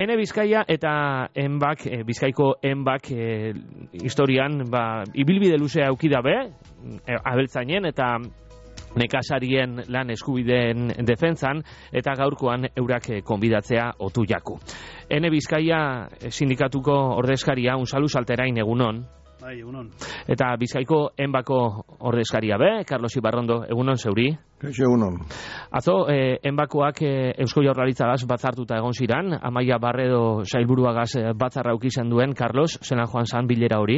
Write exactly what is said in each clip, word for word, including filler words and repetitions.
Ene Bizkaia eta enbak, e, Bizkaiko enbak e, historian, ba, ibilbide luzea auki dabe, e, abeltzainen eta nekazarien lan eskubideen defentsan, eta gaurkoan eurak konbidatzea otu jaku. Ene Bizkaia sindikatuko ordezkaria, unsalu salterain egunon. Bai, egunon. Eta Bizkaiko enbako ordezkaria be, Carlos Ibarrondo, egunon zeuri? Kaixo, egunon. Atzo, eh, enbakoak eh, Eusko Jaurlaritzagaz batzartuta egon ziran, Amaia Barredo sailburuagaz eh, batzarra ukizen duen, Carlos, zelan joan zan bilera hori?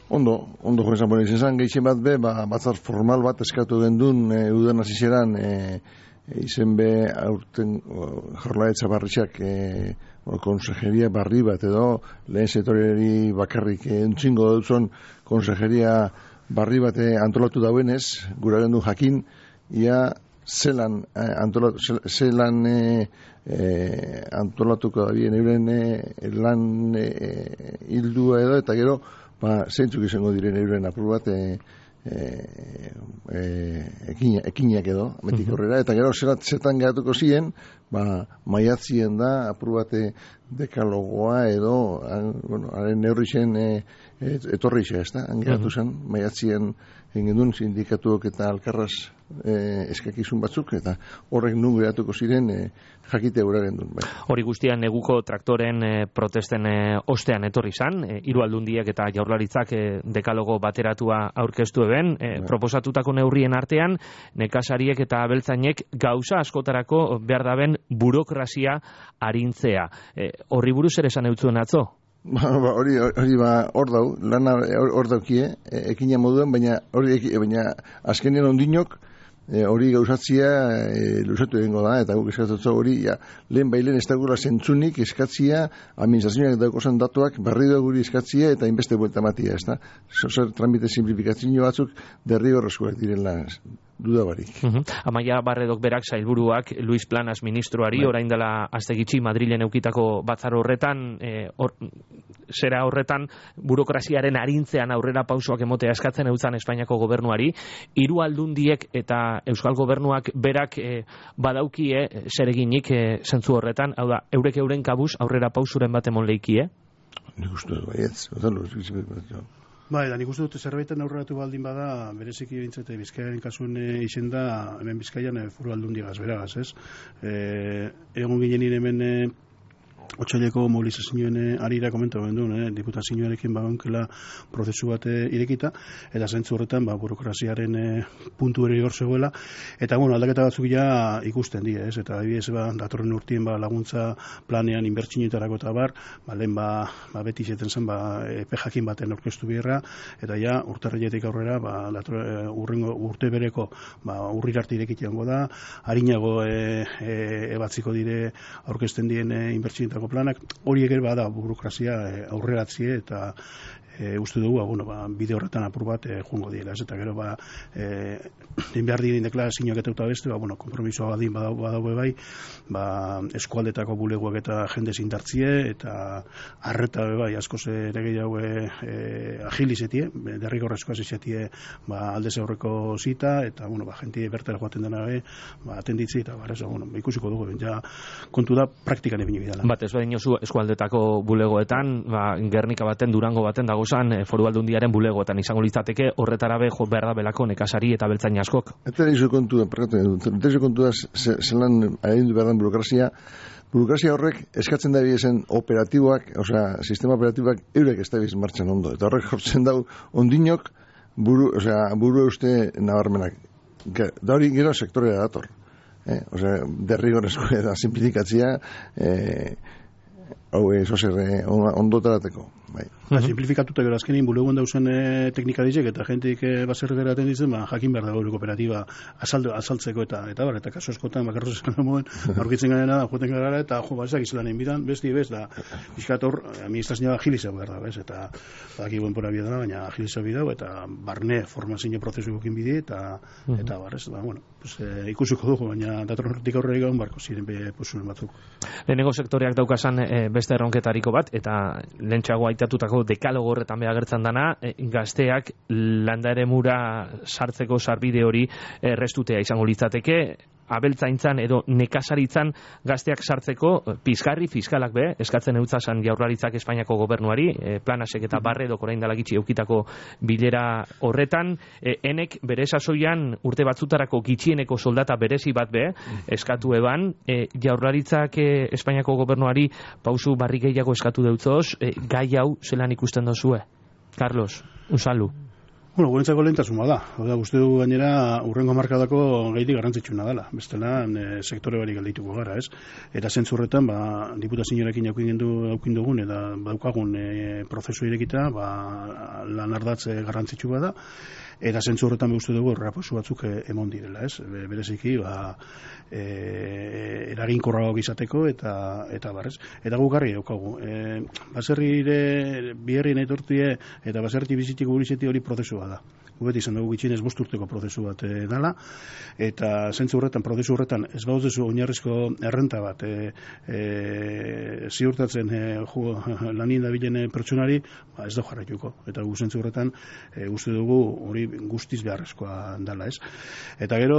Ondo, ondo joan zan, izan gehien bat be, ba, batzar formal bat eskatu gendun, e, udan azizeran, e, izen be, aurten Jaurlaritza barritxak, e, konsejeria barri bat edo, lehen sektoriari bakarrik e, entzingo dutzen konsejeria barri bat e, antolatu dauenez, gura gendu jakin, ia zelan, eh, antolatu, zelan eh, eh, antolatuko da bien euren eh, lan eh, hildua edo, eta gero, ba, zeintzuk izango diren euren apur bat eh, eh, eh, ekina, ekiniak edo, metik horrela, eta gero zelat zetan geratuko ziren, ba, maiatzien da apur bat dekalogoa edo, an, bueno, haren neurri zen eh, etorri xe, ez da, angeratu zen, maiatzien engendun sindikatuok eta alkarraz eh, eskakizun batzuk, eta horrek nun geratuko ziren eh, jakite gura gendun. Bai. Hori guztian neguko traktoren eh, protesten eh, ostean etorri zan, eh, hiru aldundiek eta Jaurlaritzak eh, dekalogo bateratua aurkeztu eben, eh, bai. Proposatutako neurrien artean, nekazariek eta abeltzainek gauza askotarako behar daben burokrazia arintzea. Eh, horri buruz ere esan eutzuen atzo? Ba, ba, hori, hori ba, hor dau, lana hor daukie, e, ekina moduen, baina hori, baina azkenean ondinok, e, hori gauzatzia e, luzatu egingo da, eta guk eskatzatzo hori, ja, lehen bailen ez dagula zentzunik eskatzia, administrazioak daukozan datuak, berri guri eskatzia, eta inbeste buelta matia, ez da? Zozer tramite simplifikazio batzuk, derri horrezkoak direla, duda barik. Uh -huh. Amaia Barredok berak sailburuak Luis Planas ministroari bai. Orain dela aste gitxi Madrilen eukitako batzar horretan eh, or, zera horretan burokraziaren arintzean aurrera pausoak emotea eskatzen eutzan Espainiako gobernuari, hiru aldundiek eta Euskal Gobernuak berak eh, badaukie eh, zereginik eh, zentzu horretan, hau da, eurek euren kabuz aurrera pausuren bat emon leikie? Nik uste dut, baietz, otan Bai, da nik uste dute zerbaiten aurreratu baldin bada, bereziki bintzete Bizkaiaren kasuen e, izen da, hemen Bizkaian e, foru aldundiagaz beragaz, ez? E, egon ginen hemen e, otsaileko mobilizazioen arira komentatu gendun, eh? Diputazioarekin bagonkela prozesu bat irekita, eta zentzu horretan ba, burokraziaren e, puntu ere hor zegoela, eta bueno, aldaketa batzuk ja ikusten die, ez? Eta adibidez ba, datorren urtien ba, laguntza planean inbertsioetarako eta bar, ba, lehen ba, ba, beti izaten zen ba, epe jakin baten aurkeztu beharra, eta ja urtarriletik aurrera ba, dator, e, urrengo urte bereko ba, urrirarte irekiteango da, harinago e, e, ebatziko dire aurkezten dien e, inbertsioetarako planak, horiek ere bada burokrazia e, aurreratzie eta e, uste dugu, bueno, ba, bide horretan apur bat e, joango diela, ez? Eta gero ba, e, behar diren deklarazioak eta eta beste, ba, bueno, kompromisoa badin badau, badau bai, ba, eskualdetako bulegoak eta jende zindartzie, eta arreta bai, askoz ere gehiago e, agilizetie, derrigorrezkoa zizetie ba, aldez aurreko zita, eta, bueno, ba, jenti bertara joaten dena be, ba, atenditzi, eta, ba, bueno, ikusiko dugu, ja, kontu da, praktikan ebini bidala. Bat, ez baino zu eskualdetako bulegoetan, ba, Gernika baten, Durango baten dagozan, e, foru aldundiaren bulegoetan izango litzateke, horretara be, jo behar da belako nekazari eta beltzain askok. Eta izo kontua, eta izo kontua zelan adindu behar den burokrazia, burokrazia horrek eskatzen da zen operatiboak, osea, sistema operatiboak eurek ez da biz martxan ondo, eta horrek jortzen dau ondinok buru, osea, buru uste nabarmenak. Da hori gero sektorea dator. Eh? Osea, derrigorrezko eta simplifikatzia eh, hau ez ozer eh, ondotarateko. Bai. Uh -huh. Simplifikatuta gero azkenin bulegoen dauzen e, teknika dizek eta jentik e, baser geraten ditzen, ba, jakin behar dago kooperatiba azaldu, azaltzeko eta eta bar, eta kaso eskotan bakarroz esan moen, aurkitzen garen da, joten gara eta jo, bazak izelan inbitan, besti bez, da, bizkator, administrazioa agiliza behar da, bez, eta baki buen pora bidea da, baina agiliza bidea, eta barne formazio prozesu gokin bide, eta, uh -huh. eta barrez, ba, bueno, pues, e, ikusiko dugu, baina datorren hortik aurrera egon barko ziren be posuren batzuk. Lehenengo sektoreak daukasan e, beste erronketariko bat, eta lehentxeago aitatutako dekalogo horretan beha gertzen dana, e, gazteak landa eremura sartzeko sarbide hori errestutea izango litzateke, abeltzaintzan edo nekazaritzan gazteak sartzeko pizgarri fiskalak be, eskatzen eutzasan Jaurlaritzak Espainiako gobernuari, e, Planasek eta Barredok orain dela gitxi eukitako bilera horretan, e, enek bere sasoian urte batzutarako gitxieneko soldata berezi bat be, eskatu eban, e, Jaurlaritzak e, Espainiako gobernuari pausu barri gehiago eskatu deutzoz, e, gai hau zelan ikusten dozue? Carlos, unzalu. Bueno, gurentzako lehentasuna da. Oda, uste du gainera urrengo markadako gaitik garrantzitsuna dela. Bestela, e, sektore barik aldituko gara, ez? Eta zentzurretan, ba, diputazioarekin aukin dugun, eta daukagun e, prozesu irekita, ba, lan ardatze garrantzitsua da. Eta zentzu horretan uste dugu erraposu batzuk emon direla, ez? Bereziki, ba, e, eraginkorragoak izateko eta eta barrez. Eta gukarri daukagu. E, baserrire biherri nahi tortie eta baserri bizitik gurizeti hori prozesua da. Gubet izan dugu gitxinez bost urteko prozesu bat e, dala, eta zentzu horretan, prozesu horretan, ez baudezu oinarrizko errenta bat e, e, ziurtatzen e, ju, lanien dabilen pertsonari, ba, ez da jarraituko. Eta gu zentzu horretan, e, uste dugu hori guztiz beharrezkoa dala, ez? Eta gero,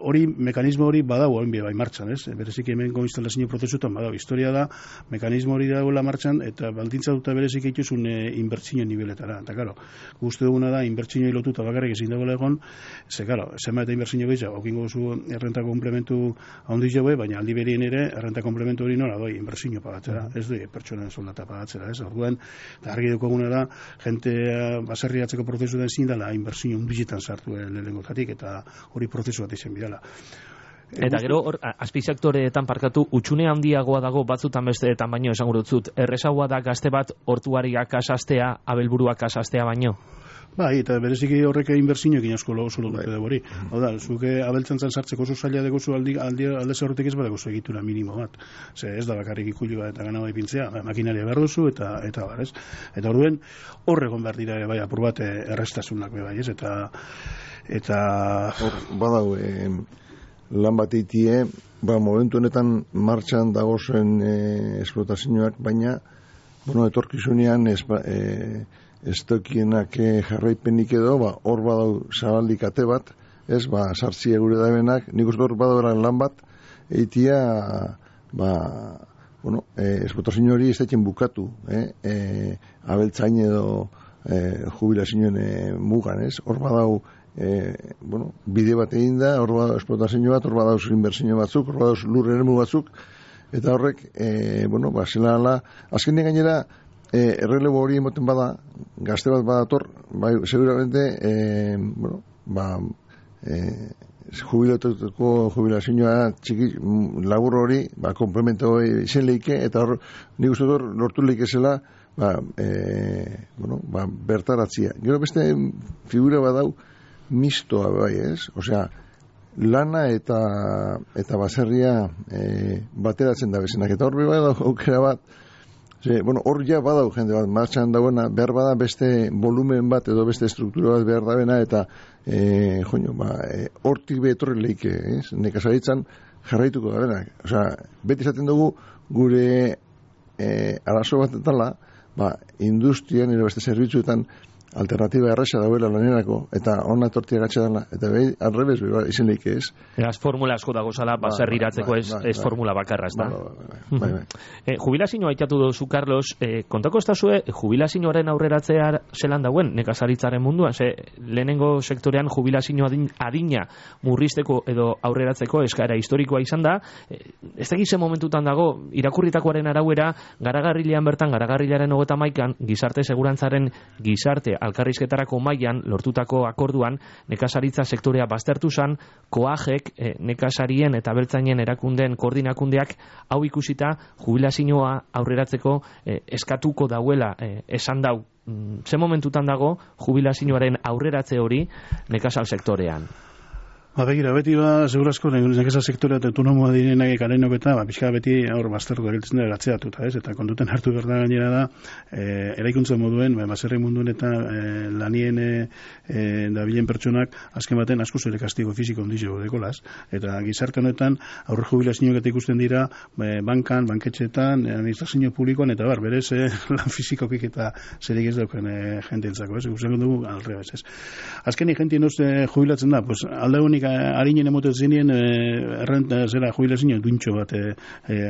hori, mekanismo hori badago hain bai martxan, ez? Bereziki hemengo instalazio prozesutan badago. Historia da, mekanismo hori dagoela martxan, eta baldintza duta bereziki ituzun e, inbertsio niveletara. Eta, karo, guzti duguna da, inbertsio lotuta bakarrik ezin dagoela egon, ze, karo, zema eta inbertsio gehiago, okingo zu errenta komplementu handi jaue, baina aldi berien ere, errenta komplementu hori nola doi, inbertsio pagatzera, ez doi, pertsonen soldata pagatzera, ez? Orduan, eta argi dukoguna da, jente baserriatzeko prozesu da ezin dela, inbertsio hundizetan sartu lehenengotatik, eta hori prozesu bat izan bidala. Eta gero, hor, azpisektoreetan parkatu, utxune handiagoa dago batzutan besteetan baino, esango dutzut, errezagoa da gazte bat hortuariak asastea, abelburuak asastea baino? Bai, eta bereziki horrek inbertsioekin asko oso lotu dugu hori. Hau da, zuke abeltzantzan sartzeko oso zaila degozu aldi, aldi, alde zaurretik ez badeko zu egitura minimo bat. Ze ez da bakarrik ikulioa eta gana bai pintzea, makinaria behar duzu eta eta bar, ez? Eta orduen horregon behar dira bai apur bat errestasunak bai, ez? Eta eta hor badau eh, lan bat eitie, ba momentu honetan martxan dagozen eh, esplotazioak, baina bueno, etorkizunean ez eh, estokienak jarraipenik edo, ba, hor badau zabaldik ate bat, ez, ba, sartzi egure dabenak, nik uste hor badau lan bat, eitia, ba, bueno, e, esplotazio hori ez daiten bukatu, eh, e, abeltzain edo e, jubilazioen e, mugan, ez, hor badau, e, bueno, bide bat egin da, hor badau esplotazio bat, hor badau inbertsio batzuk, hor badau lur eremu batzuk, eta horrek, e, bueno, ba, zela ala, azkenean gainera, E, errelebo hori emoten bada, gazte bat badator, bai, seguramente, e, bueno, ba, e, jubilatuteko jubilazioa txiki labur hori, ba, komplemento izen leike, eta hor, nik uste hor, lortu leike zela, ba, e, bueno, ba, bertaratzia. Gero beste figura badau, mistoa bai, ez? Osea, lana eta eta baserria e, bateratzen da bezenak, eta hor bai da aukera bat, Ze, bueno, hor ja badau jende bat martxan dagoena, behar bada beste volumen bat edo beste struktura bat behar dabena, eta e, joño, ba, e, hortik betorri leike, ez? Nekazaritzan jarraituko dabenak. Osea, beti izaten dugu gure e, arazo bat etala, ba, industrian edo beste zerbitzuetan alternatiba erresa dauela lanerako, eta hona tortia gatsa dela, eta behi, arrebez, behi, izen leike, ez? Eraz formula asko dago zala, baserri iratzeko ez, ez formula bakarra, ez da? Bai, bai. E, jubilazioa aitatu duzu, Carlos, e, kontako ez da zue, jubilazioaren aurreratzea zelan dauen, nekazaritzaren munduan, ze lehenengo sektorean jubilazioa adina murrizteko edo aurreratzeko eskaera historikoa izan da, e, ez da gizen momentutan dago, irakurritakoaren arauera, garagarrilean bertan, garagarrilaren hogeta maikan, gizarte segurantzaren gizarte alkarrizketarako mailan lortutako akorduan nekazaritza sektorea baztertu zan, koajek e, nekazarien eta beltzainen erakundeen koordinakundeak hau ikusita jubilazioa aurreratzeko e, eskatuko dauela e, esan dau. Ze momentutan dago jubilazioaren aurreratze hori nekazal sektorean? Ba, begira, beti ba, segurazko, nekeza sektorea autonomoa direnak ekarenok eta, ba, pixka beti aur baztertu gariltzen da gatzeatuta, ez? Eta konduten hartu berda gainera da, e, eraikuntza moduen, ba, baserri munduen eta e, lanien e, da bilen pertsonak, azken baten asko zure kastigo fiziko ondizio dekolaz. Eta gizarte honetan, aurre jubilazioak eta ikusten dira, ba, bankan, banketxetan, administrazio publikoan, eta bar, berez, e, lan fizikokik eta zerik ez dauken e, jenteentzako, ez? Guzen dugu, alrebez, ez? Azkeni jentien uste jubilatzen da, pues, alde honik harinen emoten zinien errenta zera jubilazio duintxo bat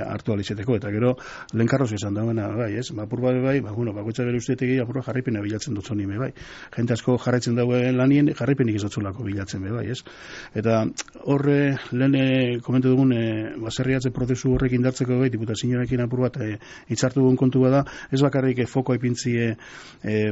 hartu alizeteko, eta gero lehenkarroz izan dagoena, bai, ez? Apur bat bai, ba, bueno, bakoitza bere usteetegi apurra jarripena bilatzen dut zonime, bai. Jente asko jarraitzen dagoen lanien, jarripenik izatzulako bilatzen, bai, ez? Eta horre, lehen komentu dugun, baserriatze prozesu horrek indartzeko bai, diputazioarekin apur bat hitzartu dugun kontu bada, ez bakarrik foko ipintzie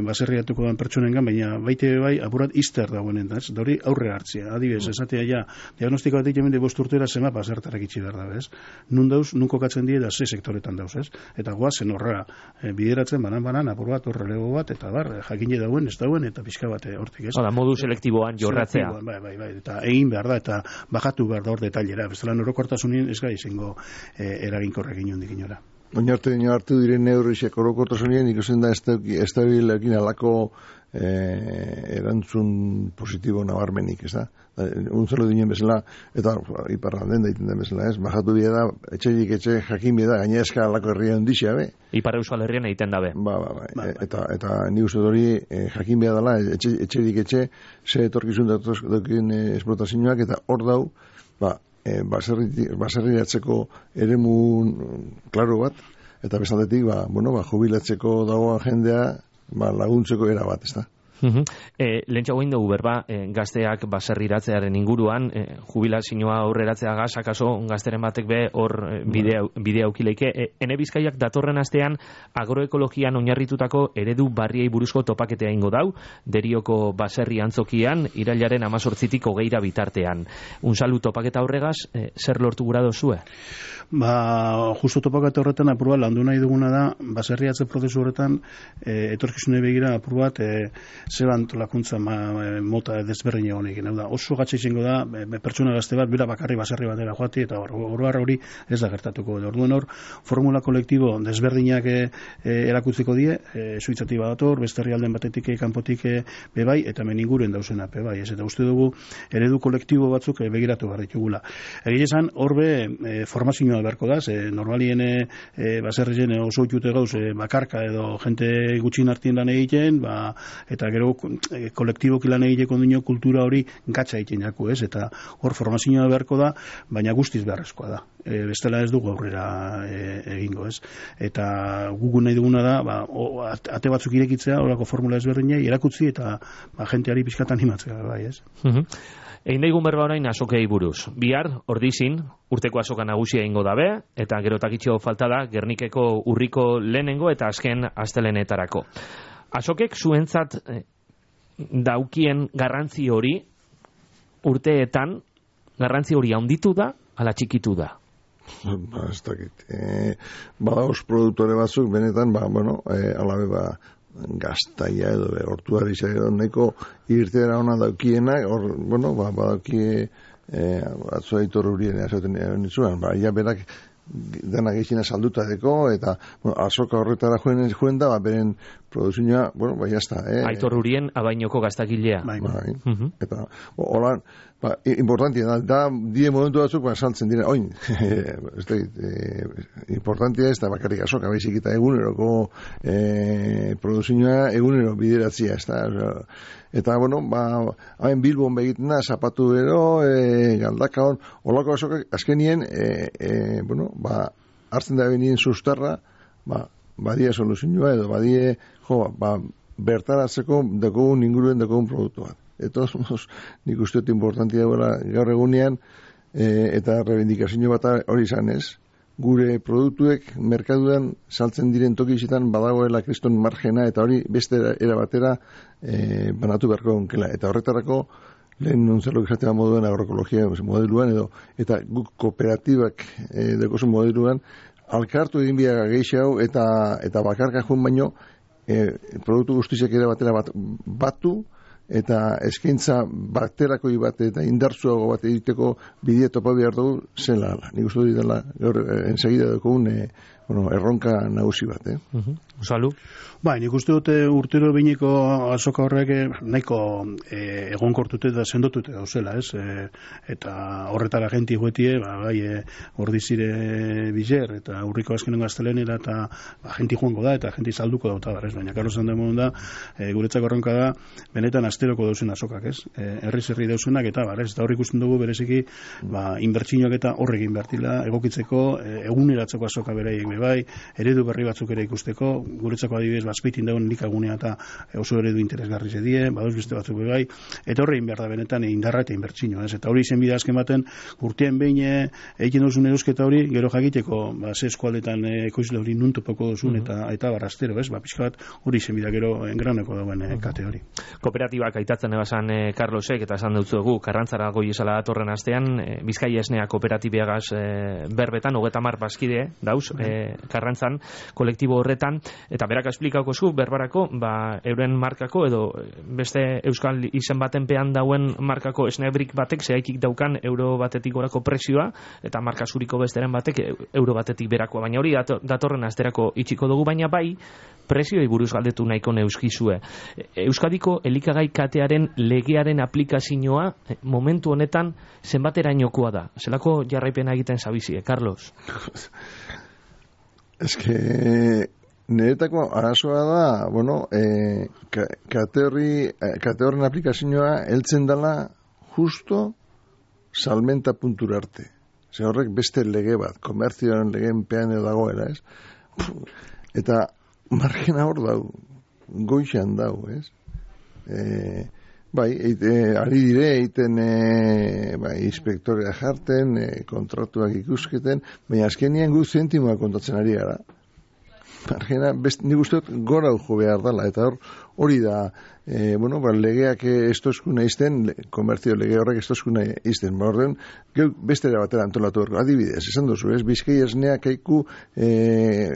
baserriatuko den pertsonengan, baina baite bai, apur bat izter dagoenen, ez? Da hori aurre hartzia, adibidez, esatea ja, diagnostiko bat egin bost urtera zema basertarak itxi behar da, ez? Nun dauz, nun kokatzen die da ze sektoretan dauz, ez? Eta goazen horra bideratzen, banan-banan, apur bat, horre lego bat, eta bar, jakine dauen, ez dauen, eta pixka bat hortik, ez? Oda, modu selektiboan jorratzea. Bai, bai, bai, eta egin behar da, eta bajatu behar da hor detailera, bestela norokortasunin ez gai izango eraginkorrak inondik inora. Oinarte dino hartu diren neurriak orokortasunien ikusten da estabilekin alako erantzun positibo nabarmenik, ez da? Untzalo dinen bezala, eta iparralden daiten den bezala, ez? Bajatu bide da, etxerik etxe jakin bide da, gaina eska alako herria ondixea, be? Ipar Euskal Herrian egiten dabe. Ba, ba, ba, eta, eta ni uste hori jakin bide dela, etxerik etxe, ze etorkizun daukien esplotazioak, eta hor dau, ba, baserriatzeko eremun klaro bat, eta bezaldetik, ba, bueno, ba, jubilatzeko dagoan jendea, ba, laguntzeko era bat, ez da? Uh-huh. E, lehentxo goin dugu berba, e, gazteak baserriratzearen inguruan, e, jubilazioa aurreratzea gazak aso, gazteren batek be hor e, bidea, bidea aukileike. E, ene Bizkaiak datorren astean agroekologian oinarritutako eredu barriei buruzko topaketea ingo dau, Derioko baserri antzokian, irailaren amazortzitik hogeira bitartean. Unzalu topaketa horregaz, e, zer lortu gura dozue? Ba, justu topaketa horretan apur bat landu nahi duguna da, baserriatze prozesu horretan, e, etorkizune begira apur bat, e, zeban tolakuntza ma, mota desberdin egonik. Oso gatsa izango da, be, pertsona gazte bat, bera bakarri baserri batera joati, eta oroar hori ez da gertatuko. Orduan hor, formula kolektibo desberdinak e, e, erakutziko die, e, suitzati badator, beste herrialden batetik, kanpotik e, bebai, eta hemen inguruen dauzena, bebai. Ez, eta uste dugu, eredu kolektibo batzuk e, begiratu behar ditugula. Egi esan, horbe, e, formazioa beharko da, e, normalien e, baserrien oso itute gauz, e, bakarka edo jente gutxin hartien lan egiten, ba, eta gero e, kolektiboki lan egiteko duño kultura hori gatsa egiten jaku, ez? Eta hor formazioa beharko da, baina guztiz beharrezkoa da. E, bestela ez dugu aurrera e, egingo, ez? Eta gugu nahi duguna da, ba, o, ate batzuk irekitzea, horako formula ezberdinei erakutzi eta ba, jenteari pixkat animatzea, bai, ez? Uh-huh. Egin daigun berba orain azokei buruz. Bihar, ordizin, urteko azoka nagusia ingo dabe, eta gero takitxo falta da, Gernikeko urriko lehenengo eta azken astelenetarako. Azokek zuentzat eh, daukien garrantzi hori, urteetan, garrantzi hori handitu da, ala txikitu da? Ba, ez dakit. E, badauz produktore batzuk, benetan, ba, bueno, e, alabe, ba, gaztaia edo, be, hortuari edo, neko irtera ona daukienak, hor, bueno, ba, badaukie, e, atzua itor hurien, ezaten nitzuan, ba, ja berak, dena gehizina salduta deko, eta bueno, azoka horretara joen, joen da, ba, beren produzioa, bueno, ba, jazta. Eh? Aitor Urien, abainoko gaztakilea. Bai, bai. Uh-huh. Eta, holan, ba, importantia da, da, die momentu batzuk, ba, saltzen dira, oin, ez da, e, importantia ez da, bakarrik azoka, baizik eta eguneroko e, produzioa egunero bideratzia, ez da, eta, bueno, ba, hain Bilbon begiten da, zapatu ero, e, galdaka hon, holako azokak, azkenien, e, e, bueno, ba, hartzen da benien sustarra, ba, badie soluzioa edo, badie, jo, ba, bertaratzeko dekogun inguruen dekogun produktu bat. Eta, nik uste dut importantia gaur egunean, e, eta rebendikazio bat hori izan ez, gure produktuek merkaduan saltzen diren tokizitan badagoela kriston margena, eta hori beste era batera e, banatu beharko onkela. Eta horretarako, lehen nuntzalo izatea moduen agroekologia modeluan, edo, eta guk kooperatibak e, dekosun modeluan, alkartu egin biaga gehiago eta, eta bakarka joan baino e, produktu guztiak ere batera bat, batu eta eskaintza baterako bat eta indartsuago bat egiteko bidea topa behar dugu zela. Nik uste dut dela gaur ensegida dugun e, bueno, erronka nagusi bat, eh? Uh-huh. Salu? Bai, nik uste dute urtero biniko azoka horrek nahiko e, egonkortute da sendotute dauzela, ez? E, eta horretara genti guetie, ba, bai, e, ordizire bizer, eta urriko azkenengo aztelenera, eta ba, genti joango da, eta genti salduko dauta, bar, ez? Baina, Carlos Andemon da, e, guretzako erronka da, benetan asteroko dauzen azokak, ez? E, herri zerri dauzenak, eta bar, ez? Eta horrik ikusten dugu, bereziki, ba, inbertsioak eta horrekin bertila, egokitzeko, e, eguneratzeko azoka beraiek bai, eredu berri batzuk ere ikusteko, guretzako adibidez, bazpeitin dagoen likagunea eta oso eredu interesgarri zedie, badoz beste batzuk bai, eta horrein behar da benetan indarra eta inbertsino, ez? Eta hori izen bide azken baten, urtean behin egiten duzun erosketa hori, gero jakiteko, ba, ze eskualdetan ekoizle hori nuntopoko duzun, eta, eta barrastero, ez? Ba, pixka bat, hori izen bide gero engraneko dagoen e, kate hori. Kooperatibak aitatzen ebasan e, Carlosek, eta esan dutzu dugu, Karrantzara goi esala datorren astean, e, Bizkaia Esnea kooperatibiagaz e, berbetan, hogeta mar bazkide, dauz, e, Karrantzan, kolektibo horretan, eta berak esplikauko zu, berbarako, ba, euren markako, edo beste euskal izen baten pean dauen markako esnebrik batek, zehaitik daukan euro batetik gorako presioa, eta marka zuriko besteren batek euro batetik berakoa, baina hori datorren asterako itxiko dugu, baina bai, presioi buruz galdetu nahiko neuskizue. Euskadiko elikagai katearen legearen aplikazioa momentu honetan zenbaterainokoa da? Zelako jarraipena egiten zabizie, Carlos? Ez que niretako arazoa da, bueno, e, kate horri, kate horren aplikazioa heltzen dela justo salmenta puntura arte. Ze horrek beste lege bat, komertzioaren legeen pean edo dagoela, ez? Eta margena hor dau, goixan dau, ez? E, bai, eite, ari dire, eiten e, bai, inspektorea jarten, e, kontratuak ikusketen, baina azkenien gu zentimoa kontatzen ari gara. Margena, nik uste dut gora jo behar dela, eta hor hori da, e, bueno, ba, legeak estozkuna izten, le, komertzio lege horrek estozkuna izten, ba, orden, geu bestera batera antolatu horko, adibidez, esan duzu, ez, Bizkai Esnea kaiku, e,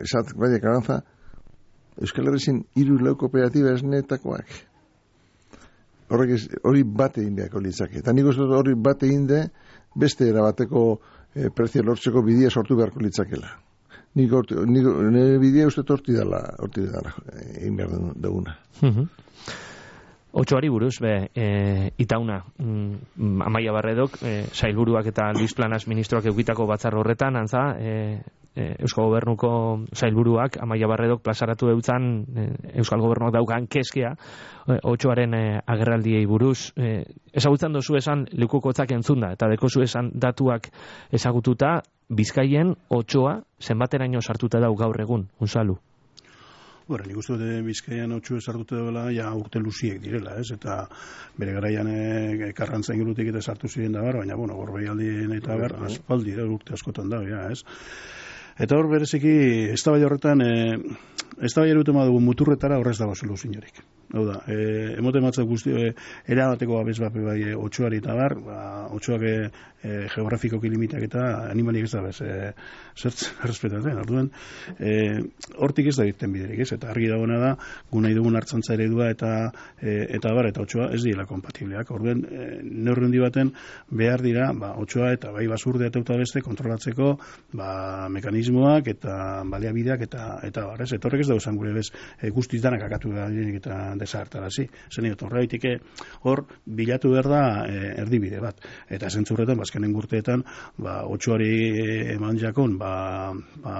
zat, bai, Karantza, Euskal Herrizin hiru lau kooperatiba esnetakoak. Horrek ez, hori bate egin beharko litzake. Eta nik uste dut hori bate egin de, beste erabateko e, prezio lortzeko bidea sortu beharko litzakela. Nik orti, nik, nire bidea uste torti dela, orti dela egin behar duguna. Uh-huh. Otsoari buruz, be, e, itauna, mm, Amaia Barredok, e, sailburuak eta Luis Planas ministroak eukitako batzar horretan, antza, e, e, Euskal Gobernuko sailburuak, Amaia Barredok plazaratu eutzan, e, Euskal Gobernuak daukan keskea, e, otsoaren e, agerraldiei buruz. E, ezagutzen dozu esan, lekukotzak entzunda, eta dekozu esan datuak ezagututa, Bizkaien otsoa zenbateraino sartuta dau gaur egun, Unzalu? Bueno, nik uste dut Bizkaian otxu esartute dela, ja urte luziek direla, ez? Eta bere garaian e, Karrantza ingurutik eta sartu ziren da bar, baina, bueno, Gorbeialdien eta bar, aspaldi, urte askotan da, ja, ez? Eta hor bereziki, ez da bai horretan, e, ez da bai eruten badugu muturretara horrez dago soluzin jorik. Hau da, e, emote matzak guzti, e, erabateko abez bape bai e, otxuari eta bar, ba, otxuak e, e, geografikoki limitak eta animalik ez da bez, e, zertz errespetatzen, orduan, e, hortik ez da biten biderik, ez? Eta argi dagoena da, gu nahi dugun hartzantza eredua eta e, eta bar, eta otxua ez dira kompatibleak. Orduan, e, neurrendi baten behar dira, ba, otxua eta bai basurde eta eta beste kontrolatzeko, ba, mekanismoak eta baliabideak eta eta bar, ez? Etorrek ez dauzan gure bez, e, guztiz danak akatu da eta desartarazi. Zen edo, horreitike hor bilatu behar da e, erdibide bat. Eta zentzurretan, bazkenen gurteetan, ba, otxuari eman jakon, ba, ba,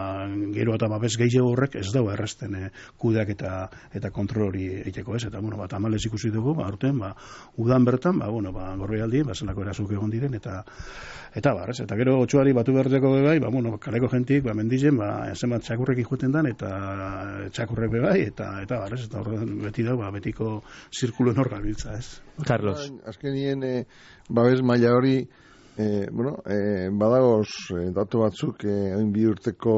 gero eta babes gehiago horrek ez dago erresten e, kudeak eta eta kontrol hori eiteko, ez? Eta, bueno, ba, tamalez ikusi dugu, ba, urten, ba, udan bertan, ba, bueno, ba, Gorbeialdi, ba, zelako erazuk egon diren, eta eta bar, ez? Eta gero otxuari batu berdeko bebai, ba, bueno, kaleko jentik, ba, mendizen, ba, zenbat txakurrek ikuten dan, eta txakurrek bebai, eta, eta bar, ez? Eta horren beti dago, ba, betiko zirkulo nor gabiltza, ez? Carlos. Azkenien, e, babes maila hori, e, bueno, e, badagoz e, datu batzuk, e, hain bi urteko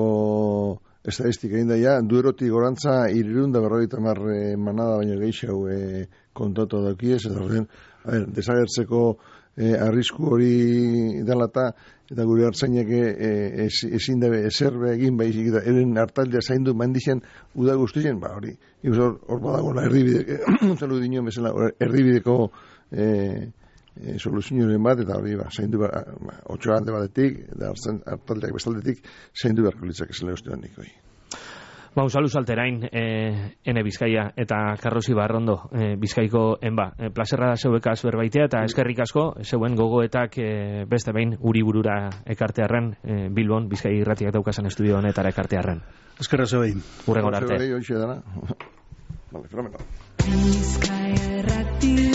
estadistika egin daia, duerotik gorantza irurunda berrogeita hamar e, manada baino gehiago e, kontatu daukiez, eta horren, a ber, desagertzeko e, arrisku hori dela eta gure hartzainak e, ezin dabe ezer egin baizik da eren hartaldea zaindu mandixen uda guztien, ba hori hor, hor badago la erdibideko zelu dino bezala erdibideko e, e, soluzioen bat, eta hori ba, zaindu ba, otxo hande batetik, eta hartaldeak bestaldetik, zaindu beharko litzak esela uste nik hoi. Ba, unzalu salterain, eh, ene Bizkaia eta Karrosi Barrondo, eh, Bizkaiko enba. Eh, plazerra da zeuekaz berbaitea eta eskerrik asko, zeuen gogoetak eh, beste behin uri burura ekartearren, eh, Bilbon, Bizkai irratiak daukasan estudio honetara ekartearren. Eskerra zebein. Urrengor arte. Zeuei, hoxe dana. Vale, fenomeno. Bizkaia irrati